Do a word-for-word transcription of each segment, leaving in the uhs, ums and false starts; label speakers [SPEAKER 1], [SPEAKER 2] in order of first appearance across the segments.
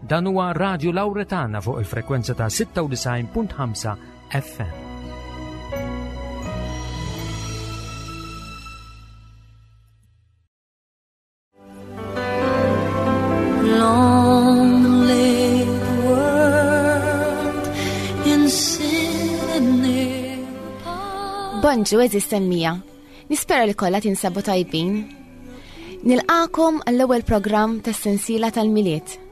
[SPEAKER 1] Dan huwa Radio Lauretana fuq il-frekwenza ta' sitta u disgħin punt ħamsa F M.
[SPEAKER 2] Long lay the world in sin and
[SPEAKER 3] Bonġu, għeżież semmiegħa. Nispera li kollha tinsabu tajbin. Nilqagħkom għall-ewwel programm tas-sensiela tal-Milied.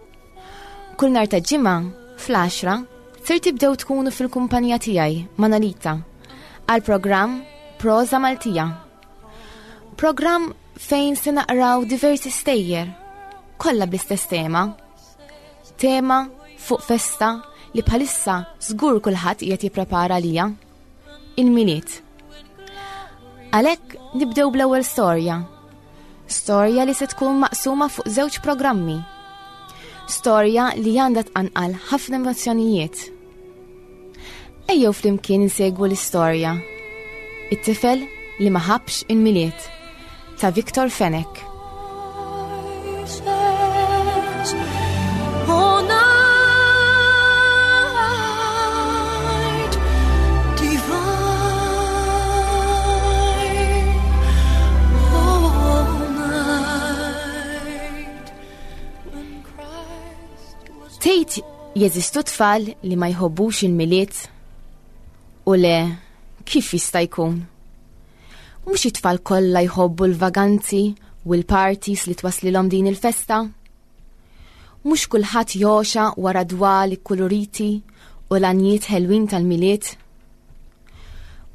[SPEAKER 3] Kull nhar ta' Ġimgħa fl-għaxra ser tibdew tkunu fil-kumpanija tiegħi, Manolita, għal programm Proza Maltija. Programm fejn se naqraw diversi stejjer, kollha bl-istess tema. Tema fuq festa li bħalissa żgur kulħadd qiegħed jipprepara lija. Il-Milied. Għalhekk nibdew bl-ewwel storja. Storja li se tkun maqsuma fuq żewġ programmi. Storja li għandha tqanqal ħafna emozzjonijiet. Ejjew flimkien insegwu l-istorja. It-tifel li ma ħabbx il-Milied ta' Victor Fenech.
[SPEAKER 2] Voices, O night divine, O night when Christ was
[SPEAKER 3] Tgħid jeżistu tfal li ma jħobbux il-Milied? U le, kif jista' jkun? Mhux it-tfal kollha jħobbu l-vaganzi u l-parties li twaslilhom din il-festa? Mhux kulħadd jogħxa wara dwal ikkuluriti u l-għanjiet ħelwin tal-Milied?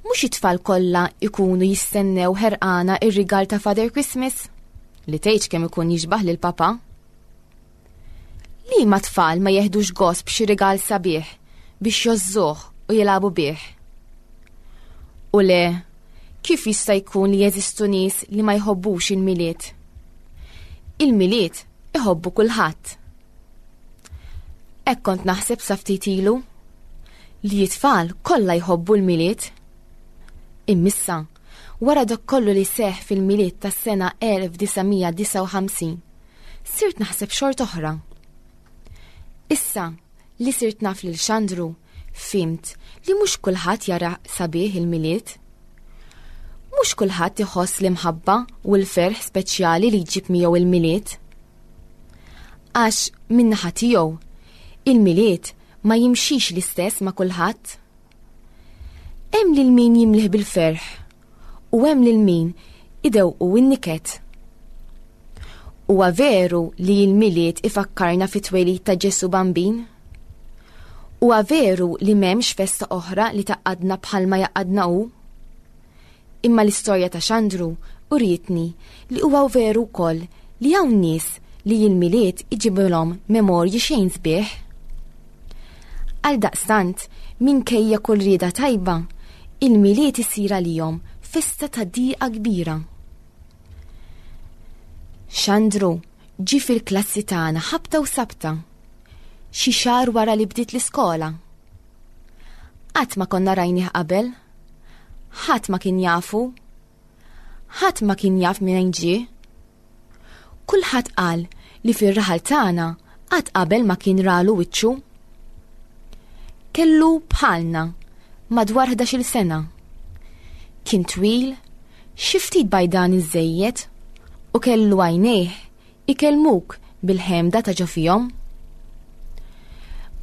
[SPEAKER 3] Mhux it-tfal kollha ikunu jistennew ħerqana ir-rigal ta' Father Christmas li tgħidx kemm ikun jixbaħ lil papa? Li ma tfal ma jeħdux gost b'xi rigal sabiħ biex jgħożżuh u jilagħbu bih? U le, kif jista' jkun li jeżistu nies li ma jħobbux il-Milied? Il-Milied iħobbu kulħadd. Hekk kont naħseb sa ftit ilu li t-tfal kollha jħobbu l-Milied. Imma issa, wara dak kollu li seħ fil-Milied tas-sena elf disa' mija disgħa u ħamsin, sirt naħseb xort oħra. Issa li sirt naf lil Xandru, fhimt li mhux kulħadd jara sabiħ il-Milied. Mhux kulħadd iħoss l-imħabba u l-ferħ speċjali li jġib miegħu il-Milied. Għax min-naħa tiegħu, il-Milied ma jimxix l-istess ma' kulħadd. Hemm lil min jimlih bil-ferħ u hemm lil min idewqu n-niket. Huwa veru li l-Milied ifakkarna fit-twelid ta' Ġesu Bambin? Huwa veru li m'hemmx festa oħra li tgħaqqadna bħalma jgħaqqadna hu? Imma l-istorja ta' Xandru urietni li huwa veru wkoll li hawn nies li l-Milied iġibilhom memorji xejn sbieħ. Għaldaqstant, minkejja kull rieda tajba, il-Milied isir għalihom festa ta' diqa kbira. Xandru ġi fil-klassi tagħna ħabta u sabta, xi xahar wara li bdiet l-iskola. Qatt ma konna rajnih qabel, ħadd ma kien jafu, ħadd ma kien jaf minn ġie. Kulħadd qal li fir-raħal tagħna qatt qabel ma kien ralu wiċċu. Kellu bħalna madwar ħdax-il sena. Kien twil, xi ftit bajdan iżejjed u kellu għajnejh ikellmuk bil-ħemda ta' ġo fihom.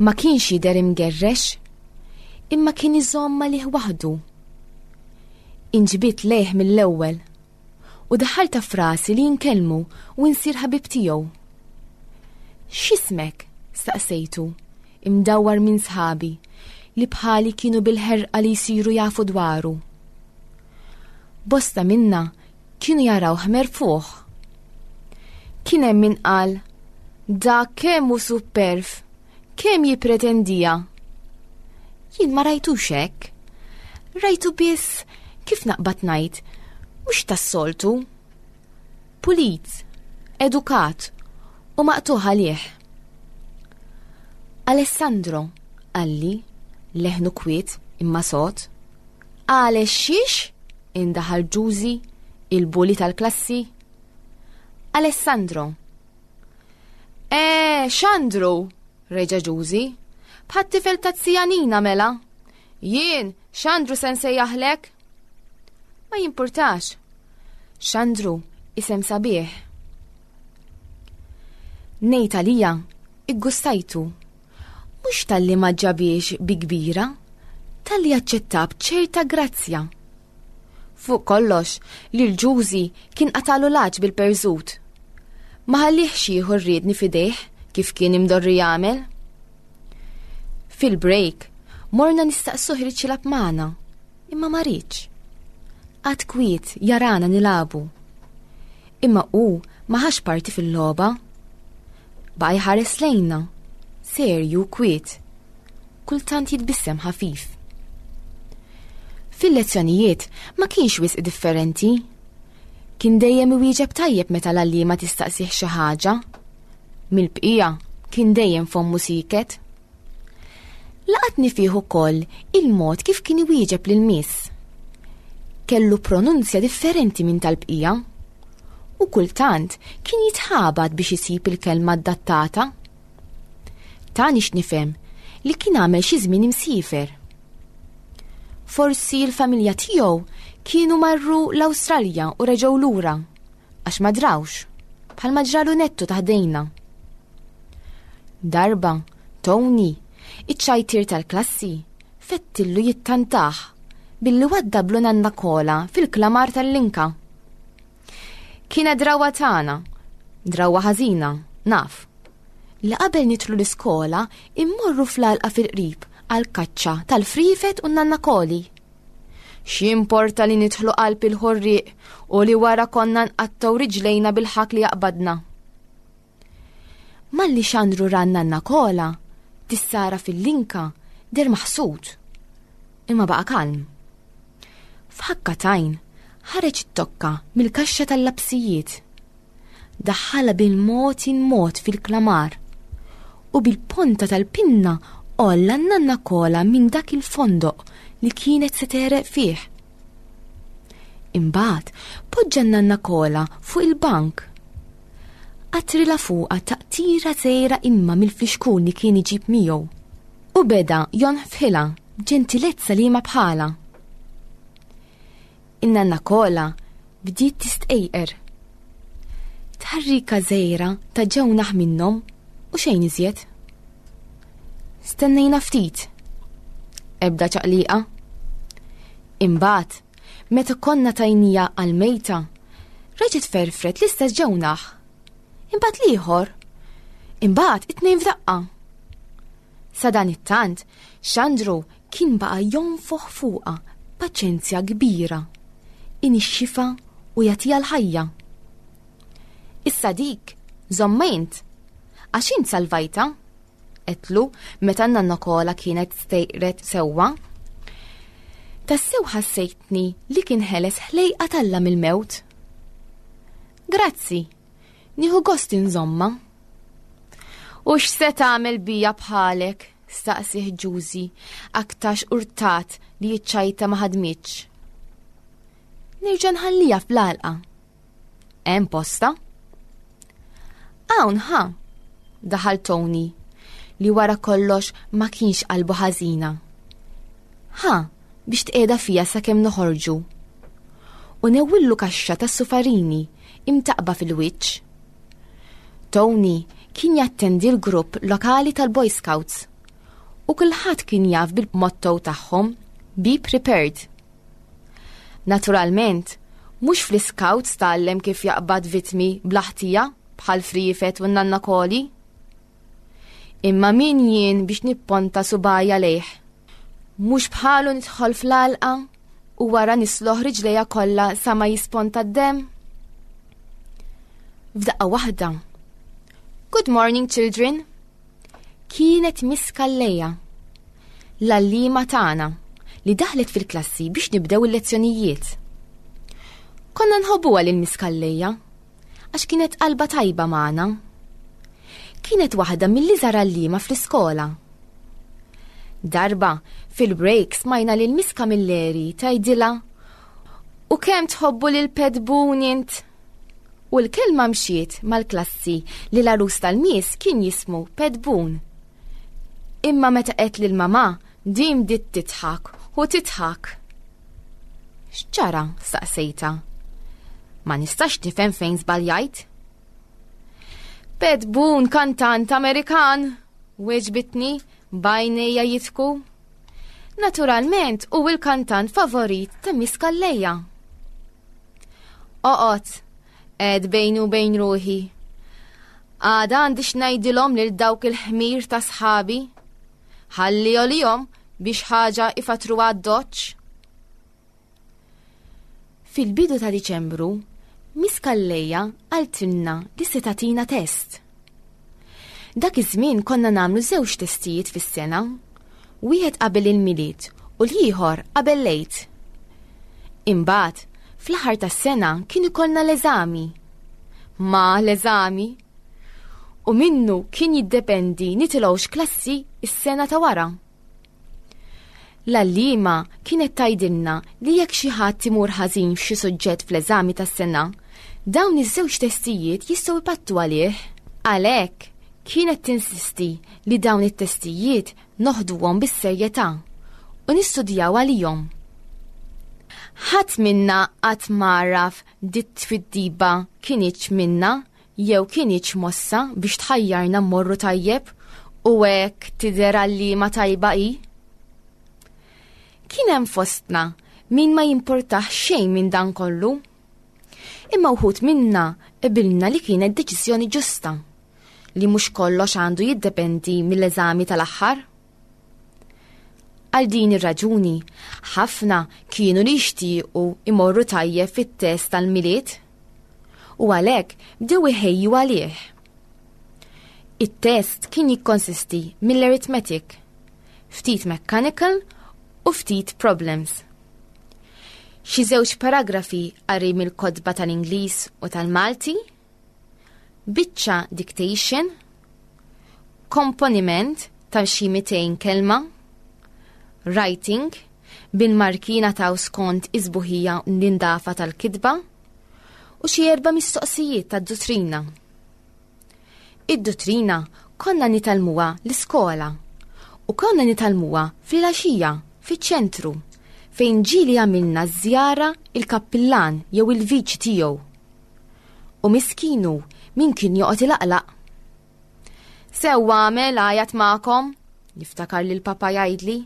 [SPEAKER 3] Ma kienx jidher imgerrex, imma kien iżomm għalih waħdu. Inġbidt lejh mill-ewwel u daħħaltha f'rasi li nkellmu u nsir ħabib tiegħu. X'ismek? Staqsejtu, imdawwar minn sħabi li bħali kienu bil-ħerqa li jsiru jafu dwaru. Bosta minna kienu jaraw merfuħ. Kien hemm min qal, "Da kemm hu supperv, kemm jipretendija." Jien ma rajtux hekk. Rajtu biss, kif naqbad ngħid, mhux tas-soltu. Pulit, edukat u maqtugħ għalih. "Alessandro," qalli, leħnu kwiet imma sod. "Għale xiex?" indaħal Ġużi, il-bully tal-klassi. "Alessandro." "Eh, Xandru!" Reġa' Ġużi. Bħat-tifel ta' Nina mela. Jien, Xandru se nsejjaħlek? Ma jimpurtax. Xandru, isem sabiħ. Ngħid għalija, iggustajtu. Mhux talli ma ġabhiex bi kbira, talli aċċetta b'ċerta grazzja. Fuq kollox, li l-Ġużi kien qatalu l-għatx bil-perżut. Ma ħallihx jieħu r-riedni f'idejh kif kien imdorri jagħmel. Fil-break, morna nistaqsuh iridx jilgħab magħna, imma ma riedx. Qagħad kwiet jarana nilagħbu. Imma hu ma ħax parti fil-logħba. Baqa' jħares lejna, serju kwiet. Kultant jitbissem ħafif. Fil-lezzjonijiet ma kienx wisq differenti. Kien dejjem iwieġeb tajjeb meta l-għalliema tistaqsih xi ħaġa. Mill-bqija kien dejjem fommu sieket. Laqatni fih ukoll il-mod kif kien iwieġeb lil miss. Kellu pronunzja differenti minn tal-bqija. U kultant kien jitħabat biex isib il-kelma adattata. Tani x'nifhem li kien għamel xi żmien imsiefer. Forsi l-familja tiegħu kienu marru l-Awstralja u reġgħu lura għax ma drawx, bħalma ġralu Nettu ta' ħdejna. Darba, Tony, iċ-ċajtier tal-klassi, fettillu jittantah billi waddablu nanna kola fil-klamar tal-linka. Kienet drawa tagħna, drawa ħażina, naf. Li qabel nidħlu l-iskola immorru fl-għalqa fil-qrib għal-kaċċa tal-frifet u nanna koli. X'importa li nidħlu qalb il-ħorriq u li wara konna nqattgħu riġlejna bil-ħak li jaqbadna. Malli Xandru ra n-nanna kola, tissara fil-linka, deher maħsud. Imma baqa' kalm. F'ħakka t'għajn, ħareġ it-tokka mill-kaxxa tal-lapsijiet. Daħħalha bil-mod il-mod fil-klamar u bil-ponta tal-pinna għolla n-nanna kola minn dak il-fondoq li kienet se tegħreq fih. Imbagħad poġġa n-nanna kola fuq il-bank. Qatrilha fuqha taqtira żgħira ilma mill-flixkun li kien iġib miegħu u beda jonfħilha b'ġentilezza li ma bħala. In-nanna kola bdiet tistqejqer. Tħarrika żgħira ta' ġewnaħ minnhom u xejn iżjed. Stennejna ftit. Ebda ċaqliqa. Imbagħad, meta konna tajnieha għal-mejta, reġgħet ferfret l-istess ġewnaħ. Imbagħad l-ieħor. Imbagħad it-tnejn f'daqqa. Sa dan it-tant, Xandru kien baqa' jonfoħ fuqha paċenzja kbira. Inixxifha u jagħtiha l-ħajja. Issa dik, żommha int, għax int salvajtha, għedtlu meta n-nanna kola kienet stejqret sewwa. Tassew ħassejtni li kien ħeles ħlejqa t'Alla mill-mewt. Grazzi, nieħu gost inżommha. U x'se tagħmel bija bħalek? Staqsieh Ġużi, aktarx urtat li ċ-ċajta ma ħadmitx. Nerġa' nħalliha fl-għalqa. Hemm posta? Hawn ħa, daħal Tony, li wara kollox ma kienx qalbu ħażina. Ħa, biex tqiegħda fiha sakemm noħorġu. U newwillu kaxxa ta' sufarini imtaqba fil-wiċċ. Tony kien jattendi l-grupp lokali tal-Boy Scouts u kulħadd kien jaf bil-motto tagħhom "Be prepared". Naturalment, mhux fl-Scouts tgħallem kif jaqbad vitmi bla ħtija bħal frifet u nanna koli. Imma min jien biex nipponta subgħajja lejh? Mhux bħalu nidħol fl-għalqa u wara nisloħ riġlejja kollha sa ma jisponta d-dem? F'daqqa waħda. "Good morning, children." Kienet Miss Calleja, l-għalliema tagħna li daħlet fil-klassi biex nibdew il-lezzjonijiet. Konna nħobbuha lil Miss Calleja għax kienet qalba tajba magħna. Kienet waħda mill-iżgħar għalliema fl-iskola. Darba fil-break smajna lil Miss Camilleri tgħidilha: "U kemm tħobbu lil Pet Boone int?" U l-kelma mxiet mal-klassi li l-għarus tal-Miss kien jismu Pet Boone. Imma meta għedt lil mama, din bdiet tidħak u tidħak. "X'ġara?" staqsejta. "Ma nistax nifhem fejn żbaljajt." "Pat Boone, kantant Amerikan," weġbitni b'għajnejha jidħku. "Naturalment hu il-kantant favorit ta' Miss Calleja." "Oqgħod," għedt bejni u bejn ruħi. "Għada għandi x'ngħidilhom lil dawk il-ħmir ta' sħabi. Ħalli għalihom biex ħaġa ifatru għad-doċ." Fil-bidu ta' Diċembru, Miss Calleja qaltilna li se tagħtina test. Dak iż-żmien konna nagħmlu żewġ testijiet fis-sena, wieħed qabel il-Milied u l-ieħor qabel l-Għid. Imbagħad, fl-aħħar tas-sena kien ikollna l-eżami. Ma l-eżami. U minnu kien jiddependi nitilgħux klassi is-sena ta' wara. L-għalliema kienet tgħidilna li jekk xi ħadd imur ħażin f'xi suġġett fl-eżami tas-sena, dawn iż-żewġ testijiet jistgħu jpattu għalih. Għalhekk kienet tinsisti li dawn it-testijiet noħduhom bis-serjetà u nistudjaw għalihom. Ħadd minna qatt m'għaraf dit-twiddiba kinitx minna jew kinitx mossa biex tħajjarna mmorru tajjeb u hekk tidher għalliema tajba hi. Kien hemm fostna min ma jimportax xejn minn dan kollu. Imma wħud minna qbilna li kienet deċiżjoni ġusta li mhux kollox għandu jiddependi mill-eżami tal-aħħar. Għal din ir-raġuni, ħafna kienu li jixtiequ imorru tajjeb fit-test tal-Milied u għalhekk bdew iħejju għalih. It-test kien jikkonsisti mill-arithmetic, ftit mechanical u ftit problems. Xi żewġ paragrafi qari mill-kotba tal-Ingliż u tal-Malti, biċċa dictation, komponiment ta' xi mitejn kelma, writing, bil-markina ta' skont is-sbuħija l-indafa tal-kitba, u xi erba' mistoqsijiet tad-duttrina. Id-duttrina konna nitgħallmuha l-iskola u konna nitgħallmuha fil-għaxija fiċ-ċentru fejn ġieli għamilna żjara il-kappillan jew il-viċi tiegħu. U miskinu min kien joqgħod ilaqlaq. "Sewwa għamel għajat magħkom," niftakar li l-papa jgħidli.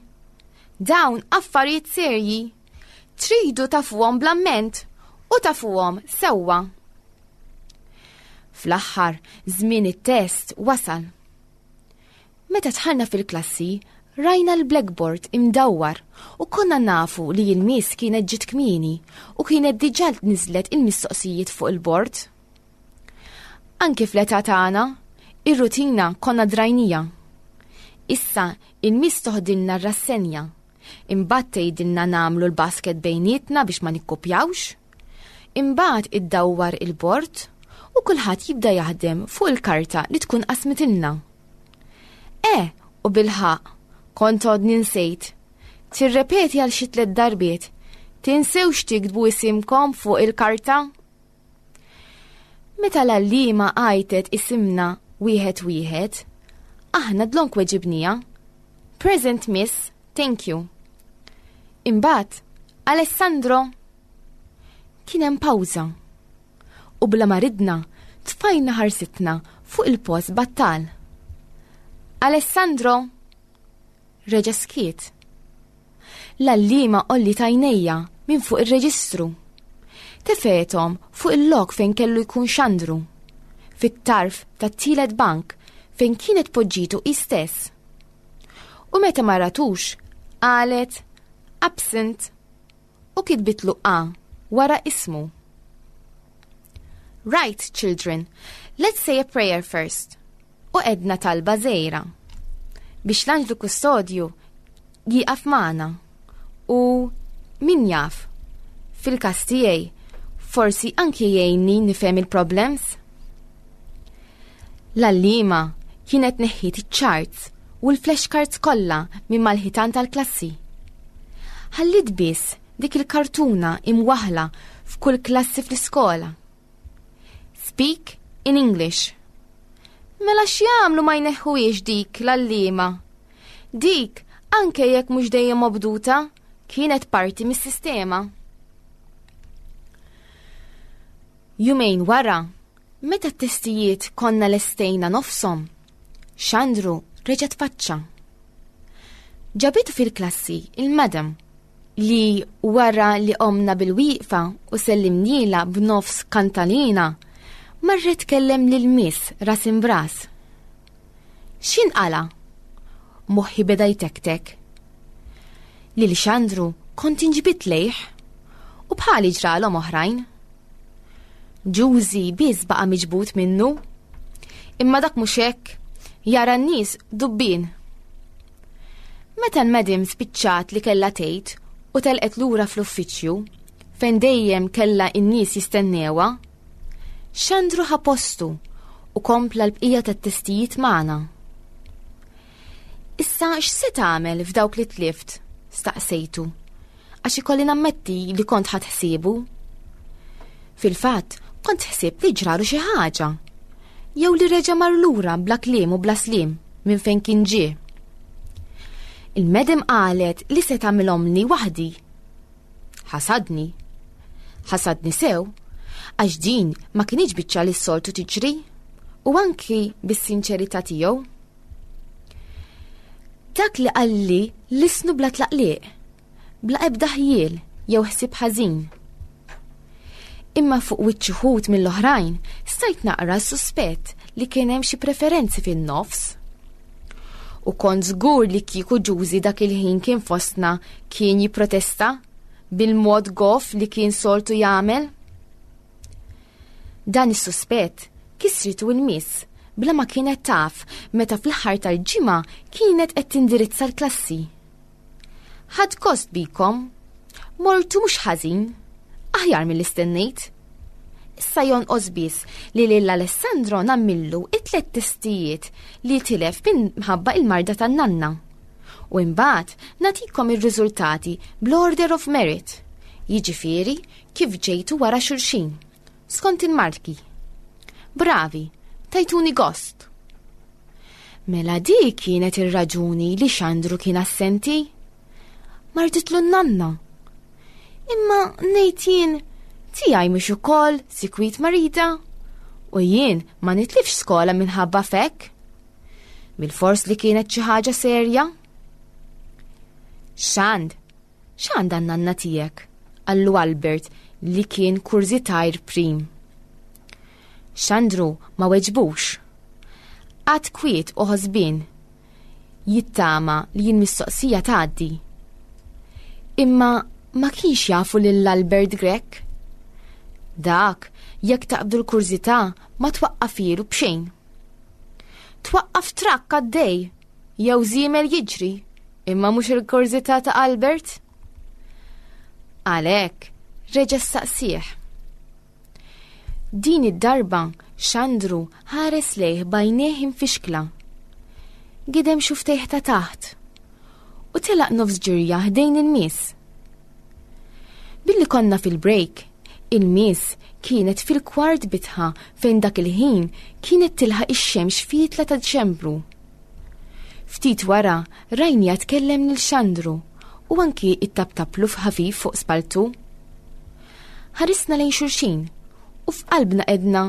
[SPEAKER 3] "Dawn affarijiet serji. Tridu tafuhom bl-amment u tafuhom sewwa." Fl-aħħar żmien it-test wasal. Meta dħalna fil-klassi, rajna l-blackboard imdawwar u konna nafu li il-miss kienet ġiet kmieni u kienet diġà niżlet il-mistoqsijiet fuq il-bord. Anki fl-età tagħna, ir-rutina konna drajnieha. Issa il-miss toħdilna r-rassenja, imbagħad tgħidilna nagħmlu l-basket bejnietna biex ma nikkopjawx, imbagħad iddawwar il-bord u kulħadd jibda jaħdem fuq il-karta li tkun qasmitilna. E, u bilħaqq, kont għodni nsejt. Tirrepeti għal xi tliet darbiet. "Tinsewx tiktbu isimkom fuq il-karta." Meta l-għalliema għajtet isimna wieħed wieħed, aħna dlonk weġibnieha. "Present, Miss, thank you." Imbagħad, "Alessandro." Kien hemm pawża. U bla ma ridna, tfajna ħarsitna fuq il-post battal. "Alessandro!" Reġa' skiet. L-għalliema għolliet għajnejha minn fuq ir-reġistru. Tefgħethom fuq il-lok fejn kellu jkun Xandru, fit-tarf tat-tielet bank fejn kienet poġġitu hi stess. U meta ma ratux, qalet "Absent" u kitbitlu A wara ismu. "Right, children, let's say a prayer first." U għedna talba żgħira biex l-anġlu kustodju jieqaf magħna u min jaf, fil-każ tiegħi, forsi anki jgħinni nifhem il-problems. L-għalliema kienet neħħiet iċ-charts u l-flashcards kollha minn mal-ħitan tal-klassi. Ħallit biss dik il-kartuna imwaħla f'kull klassi fl-iskola. "Speak in English." Mela x'jagħmlu ma jneħħuhiex dik l-għalliema? Dik, anke jekk mhux dejjem obduta, kienet parti mis-sistema. Jumejn wara, meta t-testijiet konna lestejna nofshom, Xandru reġa' tfaċċa. Ġabitu fil-klassi il-madam li wara li qomna bil-wieqfa u sellimnielha b'nofs kantalina, marret tkellem lil miss ras imbras. X'inqala? Moħħi beda jtektek. Lil Xandru kont inġbit lejh u bħali ġralhom oħrajn. Ġużi biss baqa' miġbud minnu. Imma dak mhux hekk, jara n-nies dubbien. Meta l-madam spiċċat li kellha tgħid u telqet lura fl-uffiċċju, fejn dejjem kellha n-nies jistennewha, Xandru ħa postu u kompla l-bqija tat-testijiet magħna. Issa x'se tagħmel f'dawk li tlift? Staqsejtu, għax ikolli nammetti li kont ħadd ħsiebu. Fil-fatt, kont ħsibt li ġralu xi ħaġa, jew li reġa' mar lura bla kliem u bla sliem minn fejn kien ġie. Il-medem qalet li se tagħmilhomli waħdi. Ħasadni. Ħasadni sew, għax din ma kinitx biċċa li s-soltu tiġri, u anki bis-sinċerità tiegħu. Dak li qalli lisnu bla tlaqliq, bla ebda ħjiel jew ħsieb ħażin. Imma fuq wiċċ uħud mill-oħrajn stajt naqra s-suspett li kien hemm xi preferenzi fin-nofs. U kont żgur li kieku Ġużi dak il-ħin kien fostna kien jipprotesta bil-mod goff li kien soltu jagħmel. Dan is-suspett kisritu l-miss bla ma kienet taf meta fl-aħħar tal-ġimgħa kienet qed tindirizza l-klassi. Ħadd gost bikom, mortu mhux ħażin, aħjar milli stennejt. Issa jonqos biss li lil Alessandro nammillu it-tliet testijiet li tilef minħabba il-marda tan-nanna. U imbagħad nagħtikom ir-riżultati bl-order of merit, jiġifieri kif ġejtu wara xulxin, skont il-marki. Bravi, tajtuni gost. Mela di kienet ir-raġuni li Xandru kien assenti. Marditlu n-nanna. Imma ngħid jien tiegħi mhux ukoll sikwit marida u jien ma nitlifx skola minħabba fek. Bil-fors li kienet xi ħaġa serja. Xand, x'għandha n-nanna tiegħek? Qallu Albert li kien kurżitajr prim. Xandru ma weġbux. Għad kwiet u ħosbien, jittama li jien mistoqsija tgħaddi. Imma ma kienx jafu lil Albert Grech. Dak, jekk taqbdu l-kurżità, ma twaqqafilu b'xejn. Twaqqaf trakk għaddej, jew żiemel jiġri, imma mhux il-kurżità ta' Albert. Għalhekk, reġa' staqsih. Din id-darba Xandru ħares lejh b'għajnejh imfixkla. Gidem xuftejh ta' taħt u telaq nofs ġirja ħdejn il-miss. Billi konna fil-break, il-miss kienet fil-kwart bitħa fejn dak il-ħin kienet tilħaq ix-xemx fitla ta' Diċembru. Ftit wara rajnija tkellem lil Xandru u anki ittabtablu f'ħafif fuq spaltu. Ħarisna lejn xulxin u f'qalbna edna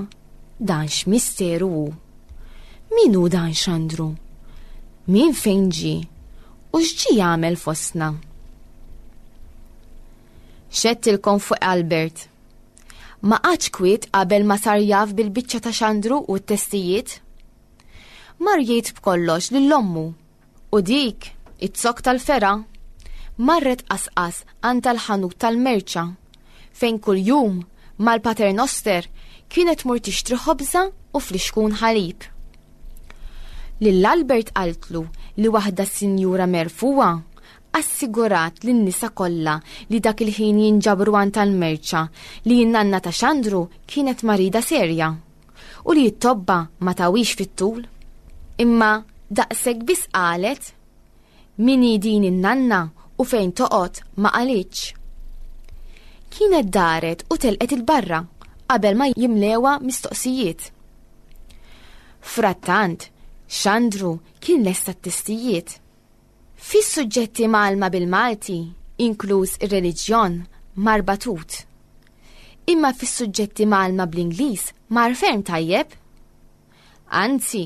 [SPEAKER 3] dan x'misteru hu. Min hu dan Xandru? Min fejn ġie? U x'ġie jagħmel fostna? Xettilkom fuq Albert. Ma qagħadx kwiet qabel ma sar jaf bil-biċċa ta' Xandru u t-testijiet. Mar jgħid b'kollox lil ommu u dik it-zokk tal-fera marret qasqas għand tal-ħanut tal-merċa fejn kuljum mal-paternoster kienet mur tixtri ħobża u flixkun ħalib. Lil Albert qaltlu li waħda sinjura merfuwa assigurat lin-nisa kollha li dak il-ħin jinġabru għand tal-merċa li n-nanna ta' Xandru kienet marida serja u li t-tobba ma tawix fit-tul. Imma daqshekk biss qalet min hi din in-nanna u fejn toqgħod ma qalitx. Kienet daret u telqet il-barra qabel ma jimlewa mistoqsijiet. Frattant, Xandru kien lesta t-testijiet. Fis-suġġetti mgħallma bil-Malti, inkluż ir-reliġjon, mar batut. Imma fis-suġġetti mgħallma bl-Ingliż mar ferm tajjeb. Anzi,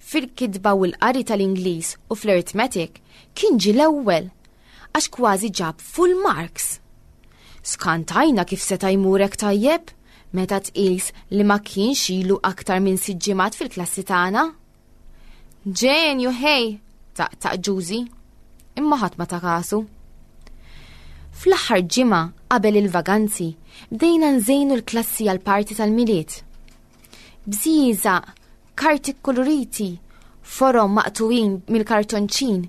[SPEAKER 3] fil-kitba u l-qari tal-Ingliż u fl-arithmetic kien ġie l-ewwel għax kważi ġab full marks. Skantajna kif seta' jmur hekk tajjeb meta tqis li ma kienx ilu aktar minn sitt ġimgħat fil-klassi tagħna. Ġenju ħej, taqtaq Ġużi, imma ħadd ma ta kasu. Fl-aħħar ġimgħa qabel il-vaganzi bdejna nżejnu l-klassi għal party tal-Milied. Bżieżaq, karti koloriti, forom maqtugħin mill-kartonċin,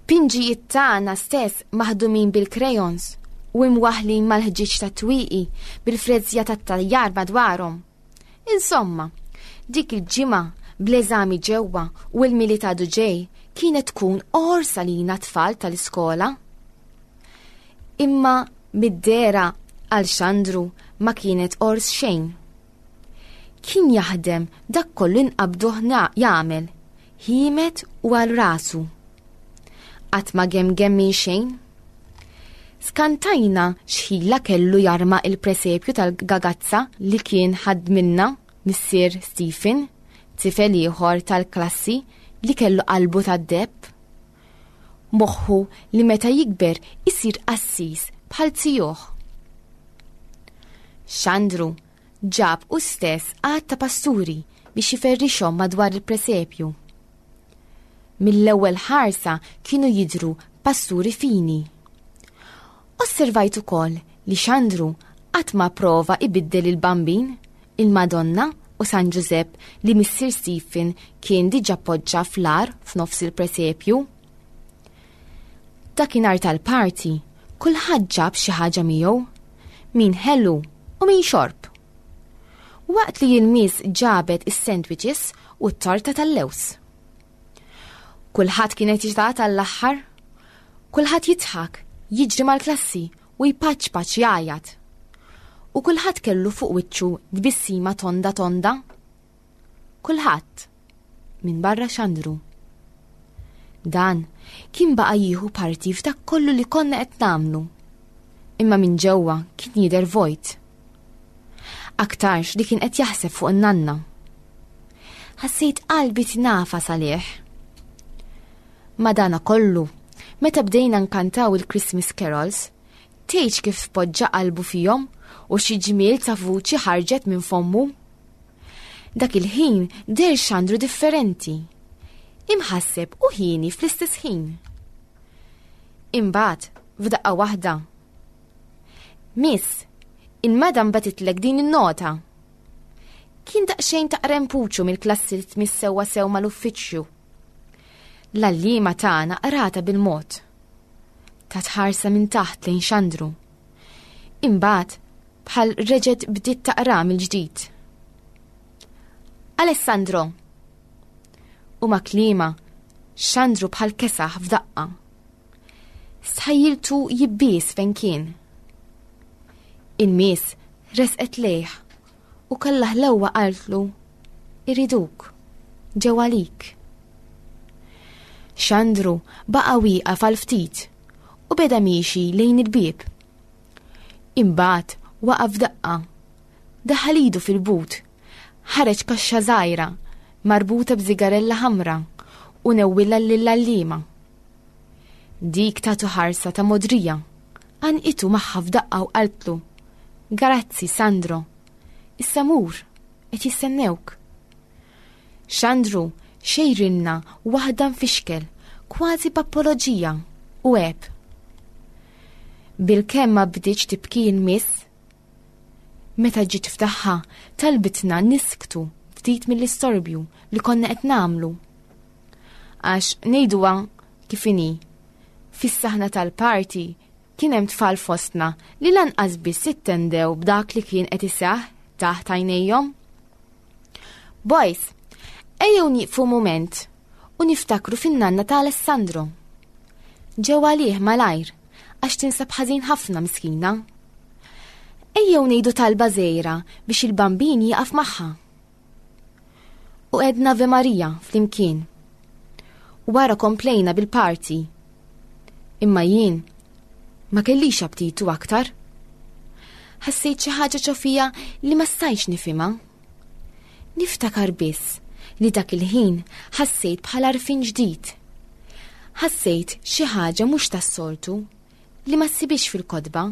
[SPEAKER 3] pinġijiet tagħna stess maħdumin bil-crayons u imwaħlin mal-ħġieġ tat-twieqi bil-frezzja tat-tajjar madwarhom. Insomma, dik il-ġimgħa bl-eżami ġewwa u l-Milied għadu ġej kienet tkun għors għalina tfal tal-iskola. Imma mid-dehra għal Xandru ma kienet għors xejn. Kien jaħdem dak kollu nqabduh jagħmel, ħiemed u għal rasu. Qatt ma gemgem minn xejn. Skantajna x'ħila kellu jarma il-presepju tal-gagazza li kien ħadmilna missier Stephen, tifel ieħor tal-klassi li kellu qalbu tad-deheb. Moħħu li meta jikber isir qassis bħal zijuh. Xandru ġab hu stess għadd ta' pasturi biex jiferrixhom madwar il-presepju. Mill-ewwel ħarsa kienu jidhru pasturi fini. Osservajt ukoll li Xandru qatt ma prova ibiddel il-Bambin, il-Madonna u San Ġużepp li missier Stephen kien diġà poġġa fl-għar f'nofs il-presepju. Dakinhar tal-party, kulħadd ġab xi ħaġa miegħu, min ħelu u min xorb. Waqt li il-miss ġabet is-sandwiches u t-torta tal-lewż. Kulħadd kien eċitat għall-aħħar, kulħadd jidħak, jiġri mal-klassi u jpaċpaċ jgħajjat. U kulħadd kellu fuq wiċċu tbissima tonda tonda. Kulħadd minn barra Xandru. Dan kien baqa' jieħu parti f'dak kollu li konna qed nagħmlu. Imma minn ġewwa kien jidher vojt. Aktarx li kien qed jaħseb fuq in-nanna. Ħassejt qalbi tinagħfas għalih. Madana kollu, meta bdejna nkantaw il-Christmas carols, tgħidx kif poġġa qalbu fihom u xi ġmiel ta' vuċi ħarġet minn fommu. Dak il-ħin deher Xandru differenti. Imħasseb u ħieni fl-istess ħin. Imbagħad f'daqqa waħda. Miss, il-madam bagħtitlek din in-nota. Kien daqsxejn ta' rempuċu mill-klassi li tmiss sewwa sew mal-uffiċċju. L-għalliema tagħna qratha bil-mod. Tat ħarsa minn taħt lejn Xandru. Imbagħad bħal reġgħet bdiet taqra mill-ġdid. Alessandro. U ma' kliemha, Xandru bħal kesaħ f'daqqa. Stħajjiltu jibbies fejn kien. Il-miss resqet lejh u kellha ħlewwa qaltlu iriduk, ġew għalik. Xandru baqa' wieqaf għal ftit u beda miexi lejn il-bieb. Imbagħad waqaf f'daqqa, daħal idu fil-but, ħareġ kaxxa żgħira marbuta b'żigarella ħamra u newwilha lill-għalliema. Dik tatu ħarsa ta' modrija, għannqitu magħha f'daqqa u qaltlu, Grazzi, Sandro, issa mur, qed jistennewk. Xandru xejrinna waħda mfixkel, kważi b'apoloġija u għeb. Bil-kemm ma bdietx tibki il-miss, meta ġiet ftaħħa talbitna nisktu ftit mill-istorbju li konna qed nagħmlu. Għax ngħiduha kif inhi, fis-saħna tal-party kien hemm tfal fostna li lanqas biss ittendew b'dak li kien qed iseħħ taħt għajnejhom. Boys, ejjew nieqfu mument u niftakru fin-nanna ta' Alessandro. Ġew għalih malajr għax tinsab ħażin ħafna miskina. Ejjew ngħidu talba żgħira biex il-Bambin jieqaf magħha. U għedna Ave Maria flimkien. U wara komplejna bil-party. Imma jien ma kellix aptitu aktar. Ħassejt xi ħaġa ġo fija li ma stajtx nifhimha. Niftakar biss li dak il-ħin ħassejt bħal għarfien ġdid. Ħassejt xi ħaġa mhux tas-soltu li ma ssibix fil-kotba.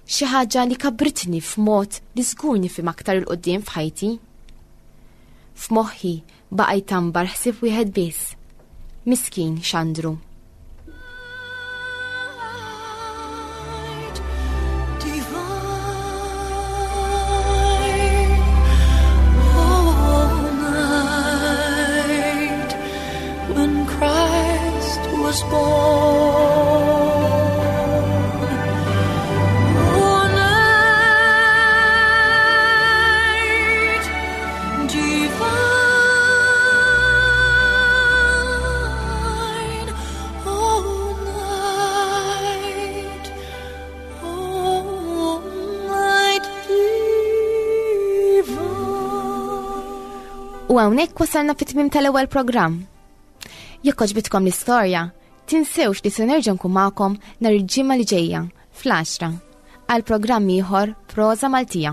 [SPEAKER 3] Xi ħaġa li kabbritni f'mod li żgur nifhem aktar 'il quddiem f'ħajti. F'moħħi baqa' jtambar ħsieb wieħed biss. Miskin Xandru.
[SPEAKER 2] Night divine, oh night when Christ was born. Oh night divine, oh night, oh night divine.
[SPEAKER 3] U hawnhekk wasalna fit-tmiem tal-ewwel programm. Jekk għoġbitkom l-istorja, tinsewx li se nerġa' nkun magħkom nhar il-ġimgħa li ġejja fl-għaxra għal programm ieħor Proża Maltija.